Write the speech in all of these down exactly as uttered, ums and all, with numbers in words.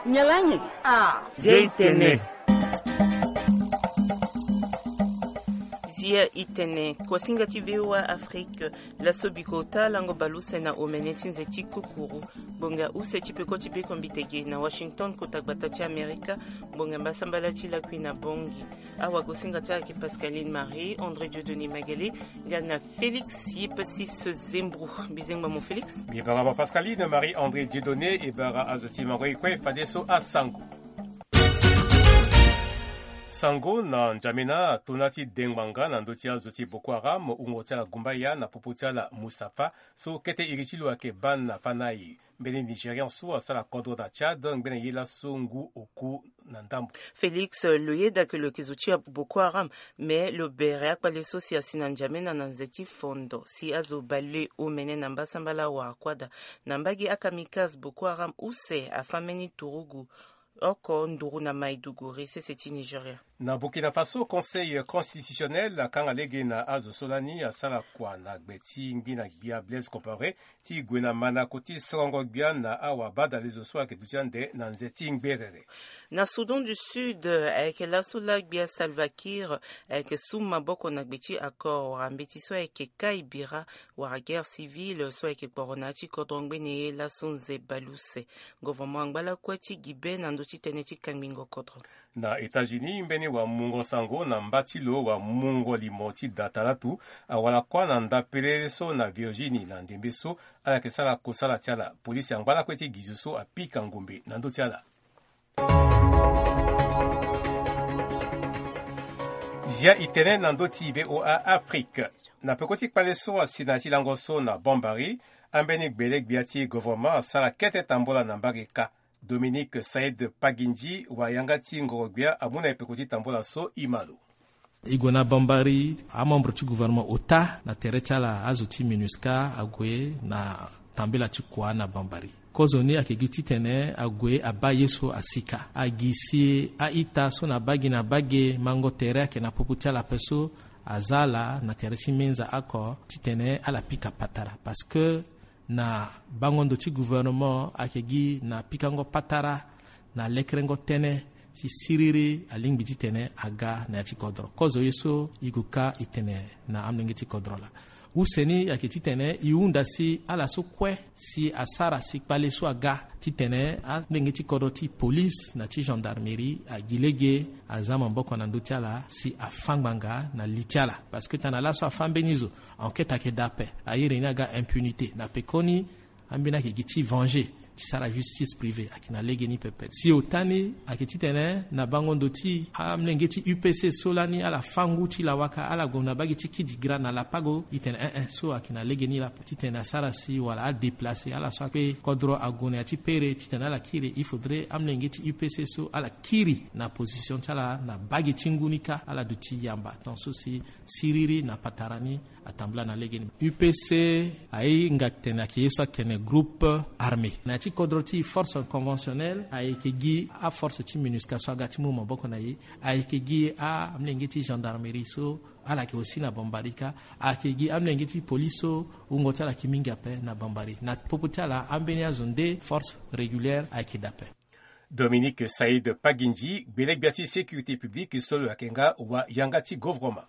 Nyalangi. Ah. Zia itene. Zia itene. Kuasinga ti VOA Afrique. Laso biko ota lango baluse na omene ti nze ti kukuru. Gbonga use ti peko ti beko mbitege na Washington, kota gbata ti Amerika. Gbonga mbasambala ti lakui na bongi. Awa gosinga ti ayeke Pascaline Marie André Dieudonné Magele, nga na Félix Yepassis Zembro. Bizengba mo Félix. Bibara ba Pascaline Marie André Dieudonné, e bara azo ti mango e kue fadeso asango. Sango na N'Djamena atona ti dengbanga na ndö ti azo ti Boko Haram, wungo ti ala Gumbaya na popo ti ala Mustapha, so kete iri ti lo ayeke baa na fa na aye. Mbeni Nigérian so asara kodro na Tchad ngbene ye laso ngu oku na ndambo. Félix, lo yeda ke lo yeke zo ti Boko Haram, me lo bere akpale so si asi na N'Djamena na nze ti fondo si azo bale omene na mbasambala wara kuâ daa. Na mbage akamikaze Boko Haram use afâ mbeni turugu oko nduru na Maiduguri, sese ti Nigeria. Na Burkina Faso, Conseil constitutionnel akanga lege na azo so lani asara kua na gbe ti ngbina gbia Blaise Compaoré ti gue na mandako ti sorongo gbia na awabadalezo so ayeke duti ande na nze ti ngberere. Na Soudan du Sud, ayeke laso laa gbia Salva Kiir ayeke su maboko na gbe ti accord wala mbeti so ayeke kai bira wala guerre civile so ayeke kporo na ya ti kodro ngbene ye laso nze baleuse. Gouvernement angba lakue ti gi be na ndö ti tënë ti kangbingo kodro. Na États-Unis, mbeni wamungo sango na mba ti lo wamungo limo ti data latu awara kuâ na ndapelele so na Virginie na ndembe so ala yeke sara kosala ti ala. Polisi angba lakue ti gi zo so apika ngombe na ndö ti ala. Zia itene na ndö ti VOA Afrique. Na peko ti kpale so asi na ya ti lango so na Bambari, ambeni gbele gbia ti gouvernement asara kete tambola na mbage kâ. Dominique Saïd Pagindji, wayanga ti ngoro-gbia, amu na e peko ti tambola so e ma lo. E gue na Bambari, amembre ti gouvernement ota na tere ti ala azo ti MINUSCA ague na tambela ti kua na Bambari. Kozoni ayeke gi titene ague abaa ye so asika. Agi si a-ita so na baa gi na baa ge mango tere ayeke na popo ti ala ape so aza ala na tere ti menza oko titene ala pika patara parce que na bango ndo ti gouvernement ayeke gi na pikango patara na lekerengo tënë si siriri alingbi titene aga na ya ti kodro. Kozo ye so e gue ka e tene na amolenge ti kodro laa. Use ni ayeke titene e hunda si ala so kue si asara si kpale so aga titene amolenge ti kodro ti police na ti gendarmerie agi lege aza maboko na ndö ti ala si afâ ngbanga na li ti ala. Parce que tana laso afâ mbeni zo, enquête ayeke daa ape. Airi ni aga impunité na pekoni. Ambeni ayeke gi ti venger ti sara justice privée ayeke na legeni pepe. Si ota ni ayeke titene na bango ndo ti amolenge ti U P C so lani ala fâ ngu ti lawaka, ala gue na baa gi ti kidi gra na lapago, e tene eh eh so ayeke na legeni laa ape. Titene asara si wala adéplacer ala so akpe kodro ague na ya ti pere titene ala kiri, il faudrait amolenge ti U P C so ala kiri na position ti ala na baa gi ti ngu ni kâ, ala duti yamba. Tant so si siriri na patara ni atambula na legeni. U P C ahinga tene ayeke ye so atene groupe armé. Na ya ti kodro ti force conventionnelle ayeke gi aforce ti MINUSCA so aga ti mu maboko na e. Ayeke gi amolenge ti gendarmerie so ala yeke aussi na Bambari kâ. Ayeke gi amolenge ti police so wungo ti ala yeke mingi ape na Bambari. Na popo ti ala ambeni azo nde force régulière ayeke daa ape. Dominique Saïd Pagindji, gbele gbia ti sécurité publique so lo yeke nga wayanga ti gouvernement.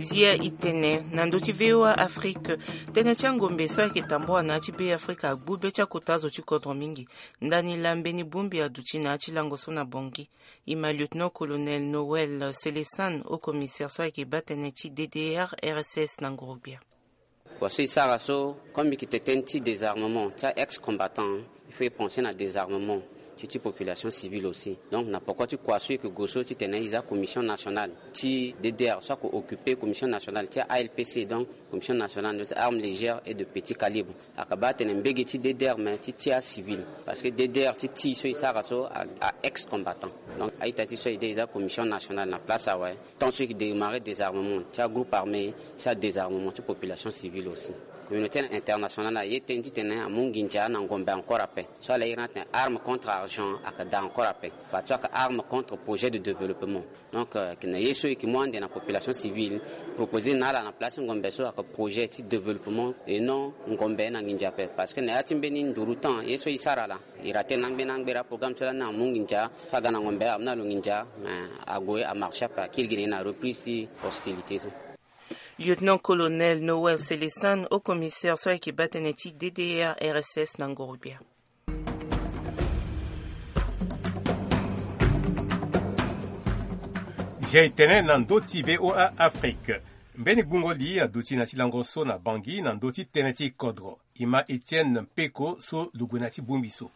Zia e tene na ndö ti VOA Afrique. Tënë ti angombe so ayeke tambula na ya ti Be Afrika agbu be ti akota zo ti kodro mingi. Ndani laa mbeni bongbi aduti na ya ti lango so na Bangui. E ma lieutenant-colonel Noël Célestin, haut-commissaire so ayeke baa tënë ti D D R R S S na nguru-gbia. Wa so e sara so, comme e yeke tene tënë ti désarmement ti a-ex-combattant, il faut e penser na désarmement ti ti population civile aussi. Donc na poko ti kua so e yeke gue so titene e za commission nationale ti D D R so ayeke occuper commission nationale ti a-A L P C, donc commission nationale ti armes légères et de petits calibres. Ayeke baa atene mbege ti D D R, mais ti ti acivil. Parce que D D R ti ti so e sara so a, a-ex-combattant. Donc a-ita ti so e de e za commission nationale na place awe. Tant so e yeke démarrer désarmement ti agroupe armé, si adésarmement ti population civile aussi. Communauté internationale aye tënë titene amu nginza na ngombe encore ape. So ala iri ni atene arme contre argent. Ake daa encore ape parce que ake arme contre projet de développement. Donc na ye so eke mu ande na population civile, proposer na ala na place ngombe so ake projet ti développement et non ngombe na nginza ape. Parce que na ya ti mbeni nduru temps ye so e sara laa, e rate na ngbeni angbera programme so lani amu nginza so aga na ngombe amu na lo nginza. Mais ague amarche ape akiri gi na ye na reprise ti hostilité so. Lieutenant-colonel Noël Célestin, haut-commissaire so ayeke baa tënë ti D D R R S S na ngorubia. Zia e tene na ndö ti V O A Afrique. Mbeni gbungo li aduti na ti lango so na Bangui na ndö ti tënë ti kodro. E ma Etienne Mpeko so lo gue na ti bongbi so.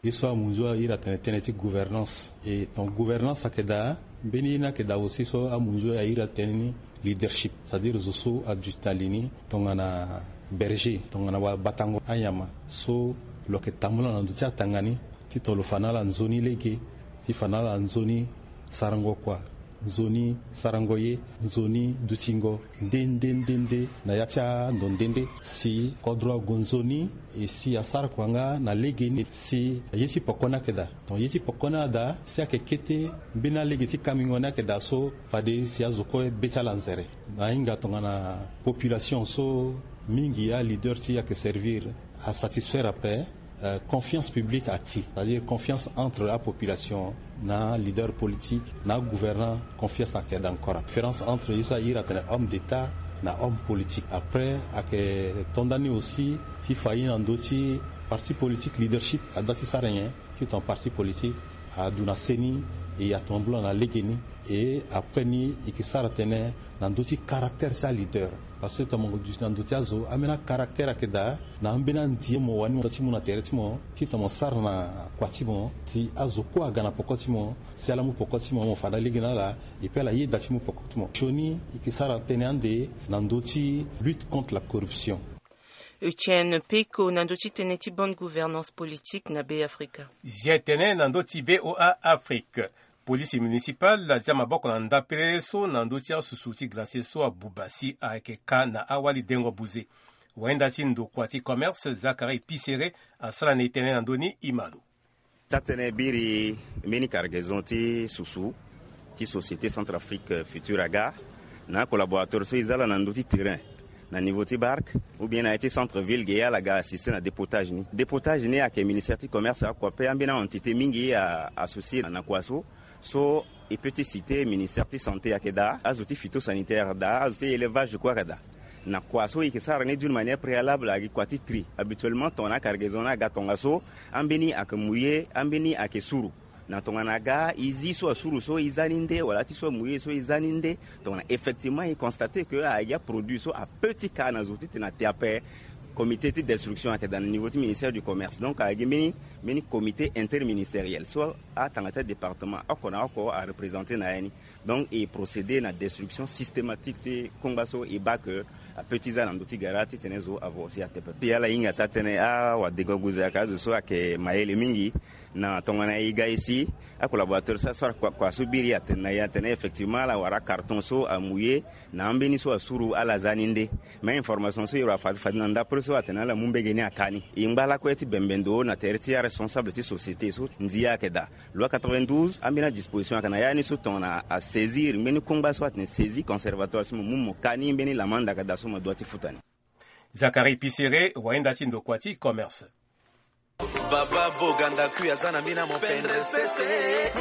Ye so amunzu airi atene tënë ti gouvernance. E ton gouvernance ayeke daa, mbeni ye ni ayeke daa aussi so amunzu airi atene ni leadership, c'est-à-dire zo so aduti na li ni tongana berger, tongana wabatango anyama so lo yeke tambula na ndo ti atanga ni, ti ton lo fa na ala nzoni lege, ti fa na ala nzoni sarango kua, nzoni sarango ye, nzoni dutingo nde nde nde nde na ya ti ando nde nde. Si kodro ague nzoni, e si asara kua nga na lege ni, si ye ti poko ni ayeke daa. Donc ye ti poko ni ada si ayeke kete mbeni alege ti kamingo ni ayeke daa so fade si azo kue be ti ala nzere. Na ahinga tongana population so mingi aleader ti e ayeke servir asatisfaire ape. Euh, confiance publique ati, c'est-à-dire confiance entre apopulation na leader politique na agouvernant, confiance ayeke daa encore. Différence entre ye so airi atene homme d'état na homme politique. Après ayeke to ndani aussi ti fa ye na ndö ti parti politique, leadership ada ti sara nyen ti ton parti politique adu na se ni, e atambula na lege ni. E après ni e yeke sara tënë na ndö ti caractère ti aleader. Parce que tongana mo duti na ndö ti azo, ambeni acaractère ayeke daa na ambeni andi mo wani mo ti mu na tere ti mo ti tongana mo sara na kua ti mo si azo kue aga na poko ti mo, si ala mu poko ti mo, mo fa na lege na ala. E pe ala yeda ti mu poko ti mo. Sioni e yeke sara tënë ande na ndö ti lutte contre la corruption. Etienne Peko na ndö ti tënë ti bonne gouvernance politique na Be Afrika. Zia e tene na ndö ti V O A Afrique. Polisi municipale azia maboko na ndapelele so na ndö ti asusu ti glacier so abuba si ayeke ka na awali dengo buze. Wayenda ti ndokua ti commerce Zacharie Pisere asara na e tënë na ndö ni, e ma lo. Taa-tënë biri mbeni cargaison ti susu ti Société Centrafrique Futur aga na acollaborateur so e za ala na ndö ti terrain na niveau ti barque ou bien na ya ti centre ville ge, ala ga assister na dépotage ni. Dépotage ni ayeke ministère ti commerce akua pe ambeni a-entité mingi a associé na kua so. So e peut ti citer ministère ti santé ayeke daa, azo ti phytosanitaire daa, azo ti élevage kue ayeke daa. Na kua so e yeke sara ni d'une manière préalable ayeke kua ti tri. Habituellement tongana acargaison ni aga tongaso, ambeni ayeke mouillé, ambeni ayeke suru. Na tongana aga e zi so asuru so e za ni nde wala ti so amouillé so e za ni nde. Tongana effectivement e constate que ayeke aproduit so apeut ti ka na zo titene ate ape. Comité ti destruction ayeke daa na niveau ti ministère du commerce. Donc ayeke mbeni mbeni comité interministériel so atanga ti adépartement oko na oko areprésenter na ya ni. Donc e procéder na destruction systématique ti kongba so e baa que apeut ti za na ndö ti gara titene zo avo aussi ate pepe. Ti ala hinga taa-tënë awadegoguze ayeke azo so ayeke mayele mingi. Na tongana e ga e si acollaborateur so asara kua so biri atene na e atene effectivement ala wara carton so amouillé na ambeni so asuru ala za ni nde. Mais information so e wara fade fade na ndapre so atene ala mu mbege ni aka ni. E ngba lakue ti bembe ndo na tere ti aresponsable ti société so ndia ayeke daa. Loi quatre-vingt-douze ambeni adisposition ayeke na ya ni so tongana asaisir mbeni kongba so atene saisie conservatoire so mo mu mo ka ni mbeni lamanda ayeke daa so mo dua ti futa ni. Zacharie Pisere, wayenda ti ndokua ti commerce. Baba Boganda kui aza na mbi na mopendre sese.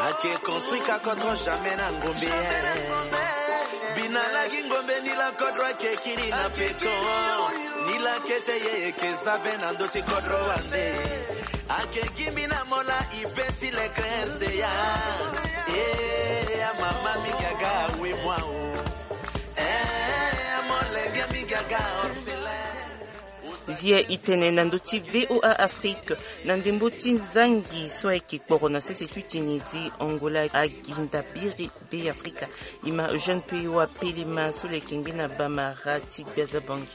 Ake construit ka kodro jamais na ngombe. Bina lagi ngombe ni la kodro ake kiri na peto. Ni la kete ye eke zabe na ndö ti kodro wande. Ake gimbi na mola ibe ti le krense ya. Eh, amama mingi aga awe mwa o. Eh, amolenge mingi aga orphelin. Zia e tene na ndö ti V O A Afrique, na ndembo ti nzangi so ayeke kporo na sese ti Tunisie, Angola, aginda biri Be Afrika. E ma Eugène Peyo apelema so lo yeke ngbi na Bamara ti Gbia Zabangi.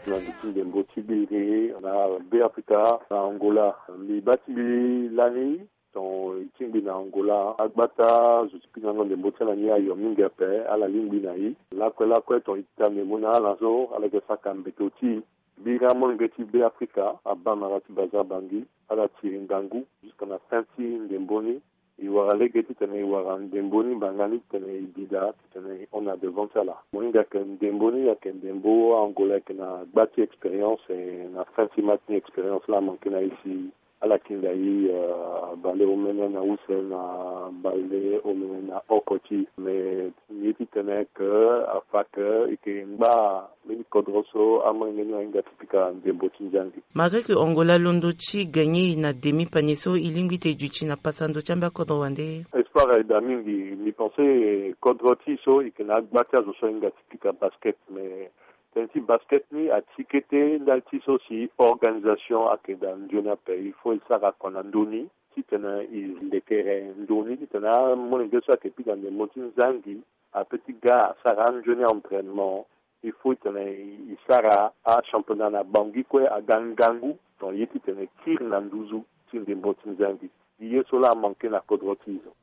Na ndö ti ndembo ti biri na Be Afrika na Angola, mbi baa ti mbi lani. Ton e tingbi na Angola, agbata zo ti kpingango ndembo ti ala ni ayo mingi ape, ala lingbi na e. Lakue lakue ton e tita ndembo na ala so, ala yeke saka mbeto ti e. Biri amolenge ti Beafrika, abamara ti Baza Bangi, ala tiri ngangu jusque na fin ti ndembo ni. E wara lege titene e wara ndembo ni, mbanga ni titene e bi daa titene e hon na devant ti ala. Mo hinga ayeke ndembo ni, ayeke ndembo Angola ayeke na gba ti expérience, eh, na fin ti match ni expérience laa amanke na e si ala kinda e, eh, bale omene na use na bale omene na oko ti e. Mais ye titene ke afa ke e yeke ngba mbeni kodro so amolenge ni ahinga ti pika ndembo ti nzangi. Malgré que Angola alondo ti gagner na demi-panier so, e lingbi ete e duti na pasa ndö ti ambe akodro wande? Espoir aye daa mingi. Mbi pense kodro ti e so e yeke na agba ti azo so ahinga ti pika basket, mais tënë ti basket ni ati kete ndali ti so si organisation ayeke daa nzoni ape. Il faut e sara kua na ndö ni titene e ndekere ndö ni titene amolenge so ayeke pika ndembo ti nzangi ape ti ga asara anzoni entraînement. Il faut titene e sara achampionnat na Bangui kue aga ngangu, donc ye titene e kiri na nduzu ti ndembo ti nzangi. Ye so laa amanke na kodro ti e so.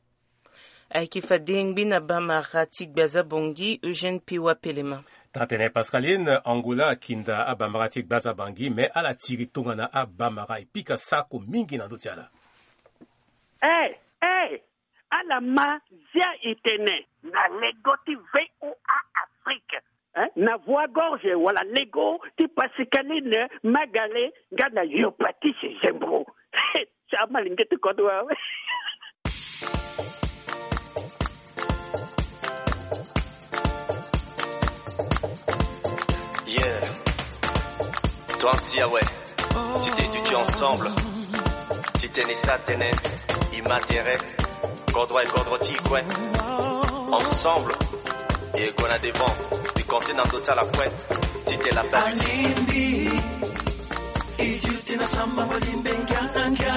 Ayeke fade ngbi na bamara ti Gbaza Bangui, Eugène Piwa Pelema. Taa-tënë Pascaline, Angola akinda abamara ti Gbaza Bangui, me ala tiri tongana abamara e pika sako mingi na ndö ti ala. Eh, eh, ala ma zia e tene na lego ti V O A Afrique, eh, na voix gorge wala lego ti Pascaline Magale nga na Yopatise Zembro. Ti amalenge ti kodro awe. Yeah. Toi aussi, ah ouais. Ti te duti ensemble. Ti tene sa tene. I ma tere. Kodro e kodro ti kue. Ensemble. E gue na devant. Ti compter na ndö ti ala kue. Ti te la page. Alimbi. E duti na samba mo limbe ngia ngia.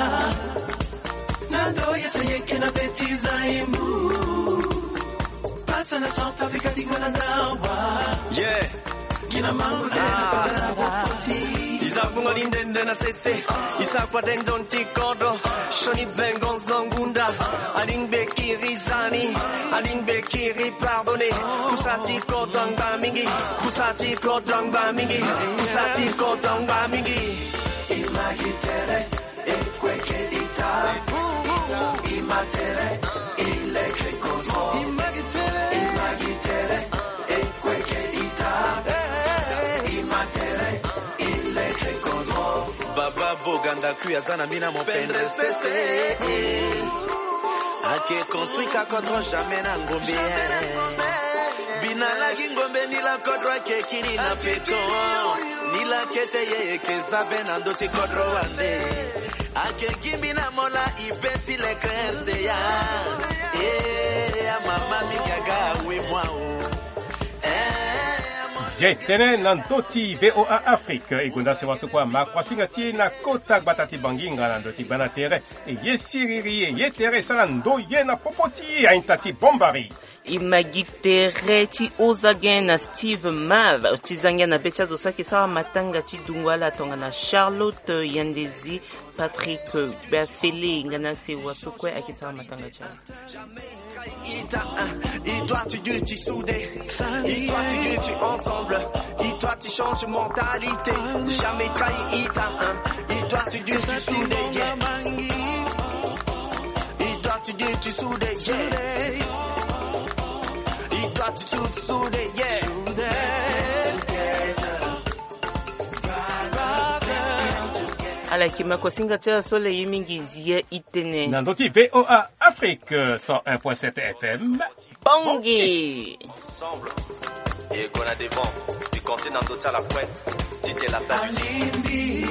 Na ndo ye so yeke na beti za imbu. Pasa na South Africa ti gue na ndawa. Yeah. Gi na mango tene na pata na wokoti. I za fungo ni ndende na sese. I sa kua de nzoni ti kodro. Sioni vengo nzongunda. Alingbe kiri zani. Alingbe kiri pardonner. Kusa ti kodro angba mingi. Kusa ti kodro angba mingi. Kusa ti kodro angba mingi. I ma gi tere. E kue ke ita. I ma tere. I leke kodro. I ma gi tere. I ma gi tere. E kue ke ita. I ma tere. I leke kodro. Baba Boganda kui aza na mina mo pendre sese. Ake construit ka kodro jamais na ngombe. Bina lagi ngombe ni la kodro ake kiri na peto. Ni la kete ye eke za be na ndö ti kodro wande. Ake gimbi na mola i be ti le clair se ya. Eh, a mama mi gaga we mwa o. Eh, a mama. Zie tënë na ndö ti V O A Afrique, e gonda sewa so kue ama kuasinga ti e na kota gbata ti Bangi nga na ndö ti gbana tere. E ye siriri, e ye tere e sara ndo ye na popo ti e, ainta ti bombari. E ma gi tere ti ozagen na Steve Mav ti zangia na be ti azo so ayeke sara matanga ti dungo ala tongana Charlotte Yandezi, Patrick Bafele nga na sewa so kue ayeke sara matanga ti ala. Ita, hein, il doit te dire tu soudé. Il doit te dire tu ensemble. Il doit te changer mentalité. Jamais trahi ita, hein, il doit te dire tu soudé, yeah. Il doit te dire tu soudé, yeah. Il doit te dire tu soudé, yeah. Ala yeke ma kuasinga ti ala so le ye mingi zi ya itene. Na ndö ti V O A Afrique, cent un point sept F M. Bongi. Ensemble. E gue na devant. Ti compter na ndö ti ala kue. Ti te la page. Alimbi.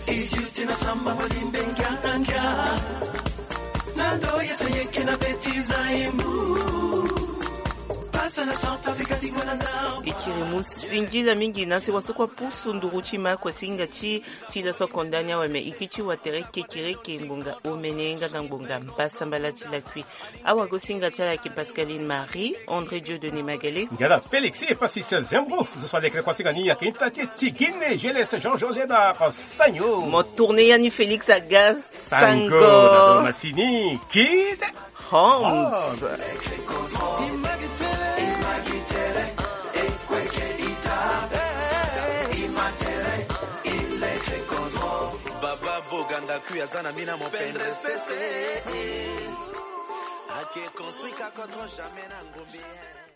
E duti na samba mo limbe ngia na ngia. Na ndo ye so yeke na beti za imbu. Pasa na Centrafrique ti gue na ndambo. E kiri mu singila mingi na sewa so kue apusu nduru ti ma kuasinga ti ti laso konda ni awe, me e kiri ti watere kekereke ngbonga omene nga na ngbonga mbasambala ti lakui. Awagosinga ti ala ayeke Pascaline Marie, André Dieudonné Magale. Nga na Félix Epasis Zembro, zo so alekere kuasinga ni ayeke ita ti e Tigine, G L S Jean Jean Léonard Sagno. Mo tourner ya ni Félix aga Sango. Sango na do masini, Kid Homs. Homs. Aku aza na mina mopendre sese. Ake construit ka contre jamais na ngombe.